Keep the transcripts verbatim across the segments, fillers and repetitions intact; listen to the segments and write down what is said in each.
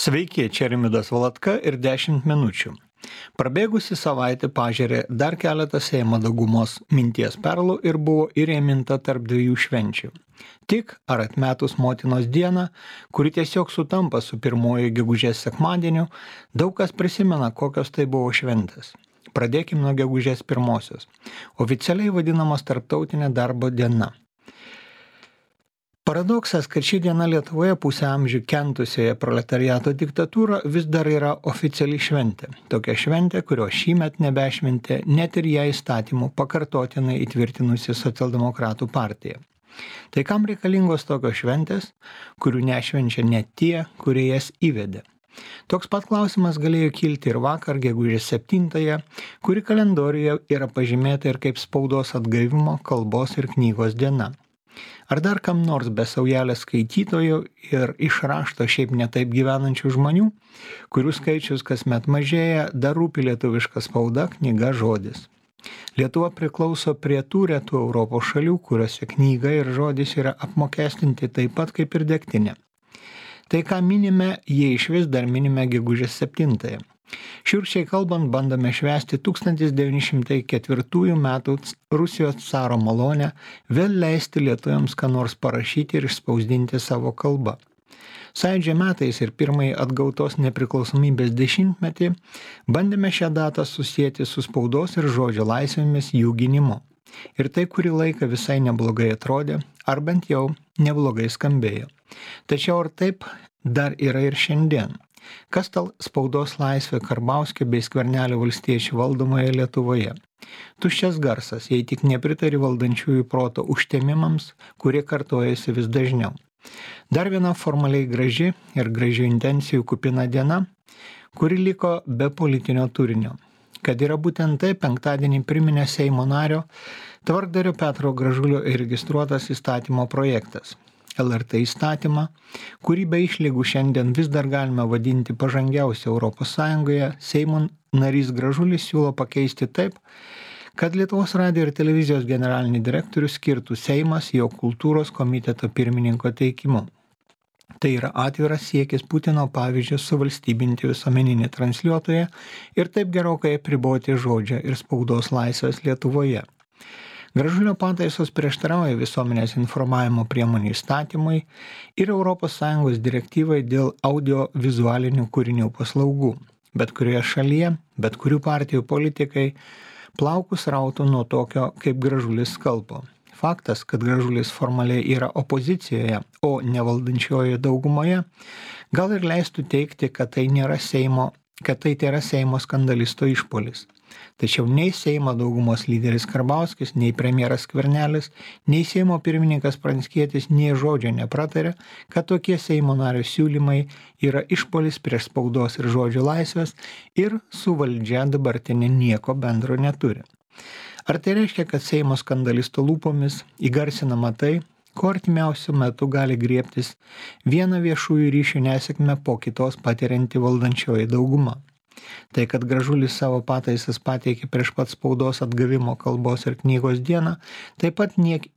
Sveiki, čia Rimvydas Valatka ir dešimt minučių. Prabėgusi savaitė pažėrė dar keletą Seimo daugumos minties perlų ir buvo įrėminta tarp dviejų švenčių. Tik ar atmetus motinos dieną, kuri tiesiog sutampa su pirmojo gegužės sekmadieniu, daug kas prisimena, kokios tai buvo šventės. Pradėkim nuo gegužės pirmosios, oficialiai vadinamos tarptautinė darbo diena. Paradoksas, kad ši diena Lietuvoje pusę amžių kentusioje proletariato diktatūrą vis dar yra oficiali šventė. Tokia šventė, kurio šįmet nebešventė net ir ją įstatymų pakartotinai įtvirtinusi socialdemokratų partija. Tai kam reikalingos tokios šventės, kurių nešvenčia net tie, kurie jas įvedė? Toks pat klausimas galėjo kilti ir vakar, gegužės septintąją, kuri kalendoriuje yra pažymėta ir kaip spaudos atgaivimo, kalbos ir knygos diena. Ar dar kam nors be saujelės skaitytojų ir iš rašto šiaip netaip gyvenančių žmonių, kurių skaičius kasmet mažėja, dar rūpi lietuviška spauda, knyga, žodis. Lietuva priklauso prie tų retų Europos šalių, kuriuose knyga ir žodis yra apmokestinti taip pat kaip ir degtinė. Tai, ką minime, jie išvis dar minime gegužės septintąją. Šiurkščiai kalbant, bandome švęsti tūkstantis devyni šimtai ketvirtųjų metų Rusijos caro malonę vėl leisti lietuviams ką nors parašyti ir išspausdinti savo kalbą. Sąjūdžio metais ir pirmąjį atgautos nepriklausomybės dešimtmetį bandėme šią datą susijęti su spaudos ir žodžio laisvėmis jų gynimu. Ir tai kurį laiką visai neblogai atrodė, ar bent jau neblogai skambėjo. Tačiau ar taip dar yra ir šiandien? Kas tal spaudos laisvė Karbauskio bei Skvernelio valstiečių valdomoje Lietuvoje? Tuščias garsas, jei tik nepritari valdančiųjų proto užtemimams, kurie kartojasi vis dažniau. Dar viena formaliai graži ir gražių intencijų kupina diena, kuri liko be politinio turinio. Kad yra būtent tai, penktadienį priminė Seimo nario tvarkdario Petro Gražulio įregistruotas įstatymo projektas. L R T įstatymą, kurį be išlygų šiandien vis dar galime vadinti pažangiausiu Europos Sąjungoje, Seimo narys Gražulis siūlo pakeisti taip, kad Lietuvos radijo ir televizijos generalinį direktorių skirtų Seimas jo kultūros komiteto pirmininko teikimu. Tai yra atviras siekis Putino pavyzdžiu suvalstybinti visuomeninį transliuotoją ir taip gerokai apriboti žodžio ir spaudos laisvės Lietuvoje. Gražulio pataisos prieštarauja visuomenės informavimo priemonių įstatymui ir Europos Sąjungos direktyvai dėl audiovizualinių kūrinių paslaugų. Bet kurioje šalyje, bet kurių partijų politikai plaukus rautų nuo tokio kaip Gražulis skalpo. Faktas, kad Gražulis formaliai yra opozicijoje, o ne valdančiojoje daugumoje, gal ir leistų teigti, kad tai nėra Seimo, kad tai yra Seimo skandalisto išpuolis. Tačiau nei Seimo daugumos lyderis Karbauskis, nei premjeras Skvernelis, nei Seimo pirmininkas Pranckietis nei žodžio nepratarė, kad tokie Seimo nario siūlymai yra išpuolis prieš spaudos ir žodžio laisvės ir su valdžia dabartinė nieko bendro neturi. Ar tai reiškia, kad Seimo skandalisto lūpomis įgarsinama tai, ko artimiausiu metu gali griebtis vieną viešųjų ryšių nesėkmę po kitos patirianti valdančioji dauguma? Tai, kad Gražulis savo pataisas pateikė prieš pat spaudos atgavimo kalbos ir knygos dieną, taip pat niek,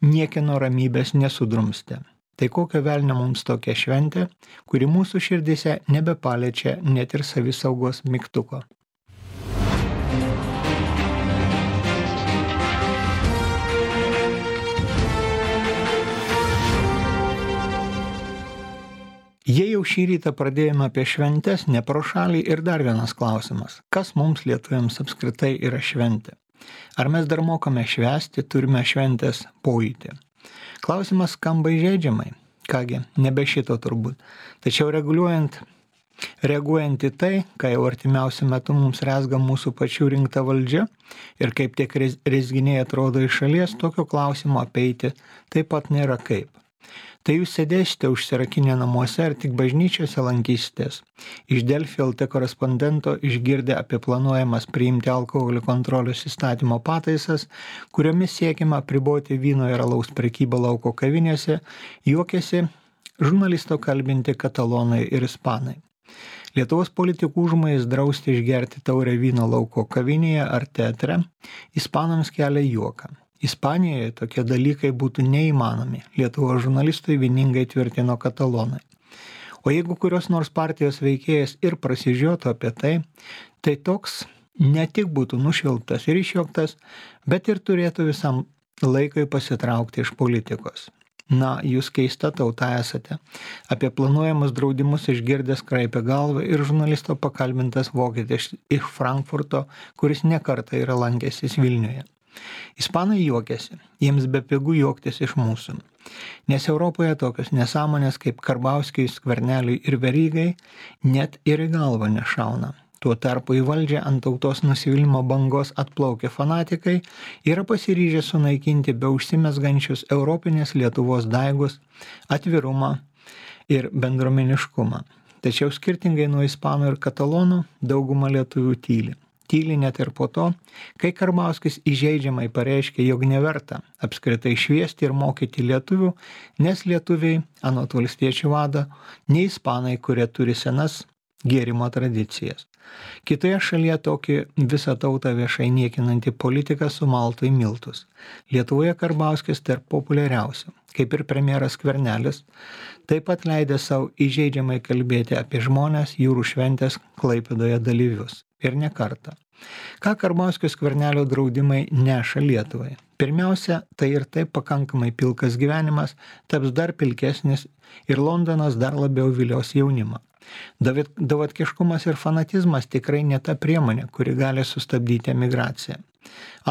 niekino ramybės nesudrumstė. Tai kokio velnio mums tokia šventė, kuri mūsų širdise nebepaliečia net ir savisaugos mygtuko. Jei jau šį rytą pradėjome apie šventes, ne pro šalį ir dar vienas klausimas. Kas mums lietuviams apskritai yra šventė? Ar mes dar mokame švęsti, turime šventės pojūtį? Klausimas skamba įžeidžiamai. Kągi, nebe šito turbūt. Tačiau reguliuojant, reaguojant į tai, ką jau artimiausiu metu mums rezga mūsų pačių rinkta valdžia ir kaip tie rezginiai atrodo iš šalies, tokio klausimo apeiti taip pat nėra kaip. Tai jūs sėdėsite užsirakinę namuose ar tik bažnyčiose lankysitės. Iš Delfi L T korespondento išgirdę apie planuojamas priimti alkoholio kontrolės įstatymo pataisas, kuriomis siekiama apriboti vyno ir alaus prekybą lauko kavinėse, juokiasi žurnalisto kalbinti katalonai ir ispanai. Lietuvos politikų užmojis drausti išgerti taurę vyno lauko kavinėje ar teatre, ispanams kelia juoką. Ispanijoje tokie dalykai būtų neįmanomi, Lietuvos žurnalistui vieningai tvirtino katalonai. O jeigu kurios nors partijos veikėjas ir prasižiotų apie tai, tai toks ne tik būtų nušvilptas ir išjuoktas, bet ir turėtų visam laikui pasitraukti iš politikos. Na, jūs keista tauta esate. Apie planuojamus draudimus išgirdęs kraipė galvą ir žurnalisto pakalbintas vokietis iš Frankfurto, kuris nekartą yra lankęsis Vilniuje. Ispanai juokiasi, jiems bepigu juoktis iš mūsų. Nes Europoje tokios nesąmonės kaip Karbauskiui, Skverneliui ir Verygai net ir į galvą nešauna. Tuo tarpu į valdžią ant tautos nusivylimą bangos atplaukę fanatikai yra pasiryžę sunaikinti be užsimesgančius Europinės Lietuvos daigus, atvirumą ir bendruomeniškumą. Tačiau skirtingai nuo ispanų ir katalonų, dauguma lietuvių tyli. Tyli net ir po to, kai Karbauskis įžeidžiamai pareiškė, jog neverta apskritai šviesti ir mokyti lietuvių, nes lietuviai, anot valstiečių vado, ne ispanai, kurie turi senas gėrimo tradicijas. Kitoje šalyje tokį visą tautą viešai niekinantį politiką sumaltų į miltus. Lietuvoje Karbauskis tarp populiariausių, kaip ir premjeras Skvernelis, taip pat leidė savo įžeidžiamai kalbėti apie žmonės jūrų šventės Klaipėdoje dalyvius. Ir ne kartą. Ką Karbauskio Skvernelio draudimai neša Lietuvai? Pirmiausia, tai ir taip pakankamai pilkas gyvenimas taps dar pilkesnis ir Londonas dar labiau vilios jaunimą. Davatkiškumas ir fanatizmas tikrai ne ta priemonė, kuri gali sustabdyti emigraciją.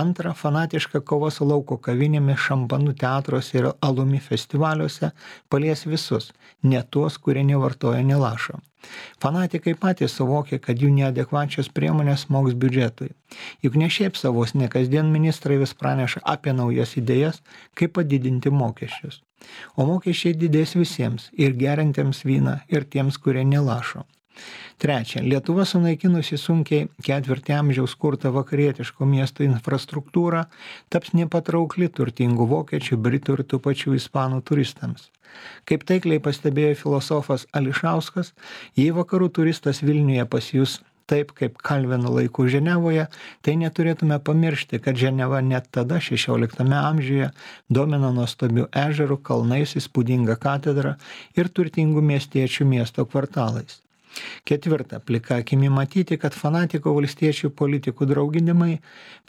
Antra, fanatiška kova su lauko kavinėmis, šampanų teatruose ir alumi festivaliuose palies visus, ne tuos, kurie nevartoja nė lašo. Fanatikai patys suvokia, kad jų neadekvačios priemonės smogs biudžetui. Juk ne šiaip savos, ne kasdien ministrai vis praneša apie naujas idėjas, kaip padidinti mokesčius. O mokesčiai didės visiems, ir geriantiems vyną, ir tiems, kurie nelašo. Trečia, Lietuva sunaikinusi sunkiai ketvirtį amžiaus kurtą vakarietiško miesto infrastruktūrą taps nepatraukli turtingų vokiečių, britų ir tų pačių ispanų turistams. Kaip taikliai pastebėjo filosofas Ališauskas, jei vakarų turistas Vilniuje pasijus taip kaip Kalvino laikų Ženevoje, tai neturėtume pamiršti, kad Ženeva net tada šešioliktame amžiuje domino nuostabių ežerų, kalnais, įspūdinga katedra ir turtingų miestiečių miesto kvartalais. Ketvirta, plika akimi matyti, kad fanatiko valstiečių politikų drauginimai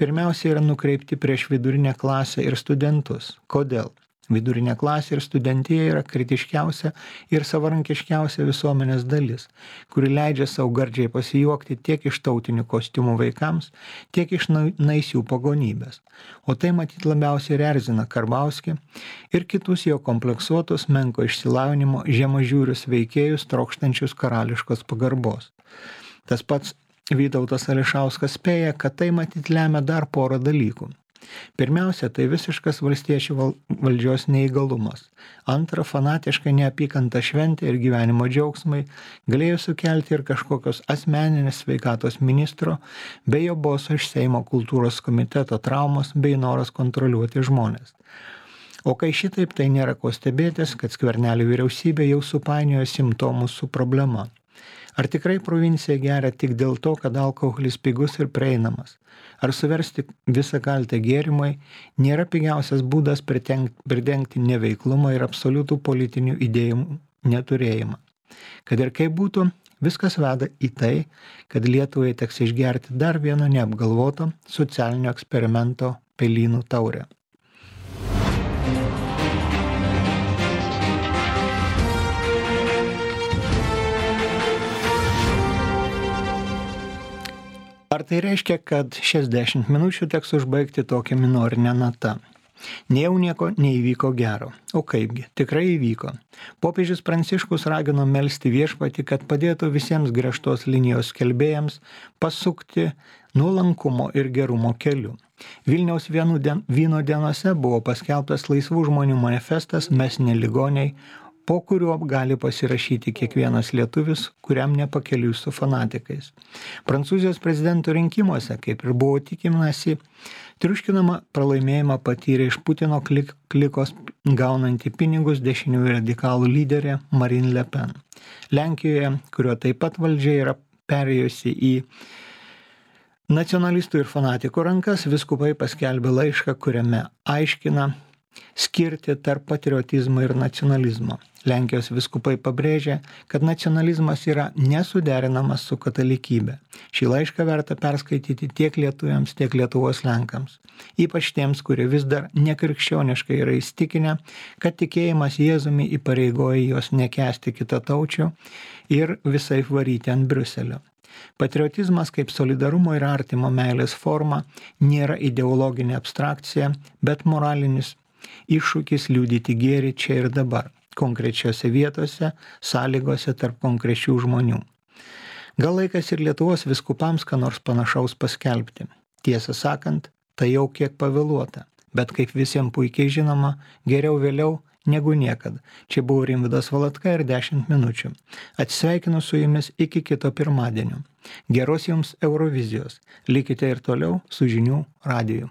pirmiausia yra nukreipti prieš vidurinę klasę ir studentus. Kodėl? Vidurinė klasė ir studentija yra kritiškiausia ir savarankiškiausia visuomenės dalis, kuri leidžia savo gardžiai pasijuokti tiek iš tautinių kostiumų vaikams, tiek iš naisių pagonybės. O tai matyt labiausiai ir erzina Karbauskį ir kitus jo kompleksuotus menko išsilavinimo žemažiūrius veikėjus trokštančius karališkos pagarbos. Tas pats Vytautas Ališauskas spėja, kad tai matyt lemia dar porą dalykų. Pirmiausia, tai visiškas valstiečių valdžios neįgalumas. Antra, fanatiškai neapykanta šventė ir gyvenimo džiaugsmai galėjo sukelti ir kažkokios asmeninės sveikatos ministro bei jo boso iš Seimo kultūros komiteto traumos bei noras kontroliuoti žmonės. O kai šitaip, tai nėra ko stebėtis, kad Skvernelio vyriausybė jau supainiojo simptomus su problema. Ar tikrai provincija geria tik dėl to, kad alkoholis pigus ir prieinamas? Ar suversti visą kaltę gėrimai nėra pigiausias būdas pridengti neveiklumą ir absoliutų politinių idėjų neturėjimą? Kad ir kaip būtų, viskas veda į tai, kad Lietuvai teks išgerti dar vieno neapgalvoto socialinio eksperimento pelynų taurę. Ar tai reiškia, kad šias dešimt minučių teks užbaigti tokią minorinę natą? Nejau nieko neįvyko gero. O kaipgi, tikrai įvyko. Popiežius Pranciškus ragino melsti viešpatį, kad padėtų visiems griežtos linijos skelbėjams pasukti nuolankumo ir gerumo keliu. Vilniaus vyno dienose buvo paskelbtas laisvų žmonių manifestas Mes ne ligoniai, po kuriuo gali pasirašyti kiekvienas lietuvis, kuriam nepakeliui su fanatikais. Prancūzijos prezidento rinkimuose, kaip ir buvo tikimasi, triuškinamą pralaimėjimą patyrė iš Putino klik, klikos gaunanti pinigus dešiniųjų radikalų lyderė Marine Le Pen. Lenkijoje, kurio taip pat valdžia yra perėjusi į nacionalistų ir fanatikų rankas, vyskupai paskelbė laišką, kuriame aiškina, skirti tarp patriotizmo ir nacionalizmo. Lenkijos vyskupai pabrėžia, kad nacionalizmas yra nesuderinamas su katalikybė. Šį laišką verta perskaityti tiek lietuviams, tiek Lietuvos lenkams. Ypač tiems, kurie vis dar nekrikščioniškai yra įstikinę, kad tikėjimas Jėzumi įpareigoja juos nekęsti kitataučių ir visai varyti ant Briuselio. Patriotizmas kaip solidarumo ir artimo meilės forma nėra ideologinė abstrakcija, bet moralinis iššūkis liudyti gėrį čia ir dabar, konkrečiose vietose, sąlygose tarp konkrečių žmonių. Gal laikas ir Lietuvos vyskupams ką nors panašaus paskelbti. Tiesą sakant, tai jau kiek pavėluota, bet kaip visiems puikiai žinoma, geriau vėliau negu niekad. Čia buvo Rimvydas Valatka ir dešimt minučių. Atsisveikinu su jumis iki kito pirmadienio. Geros jums Eurovizijos. Likite ir toliau su žinių radiju.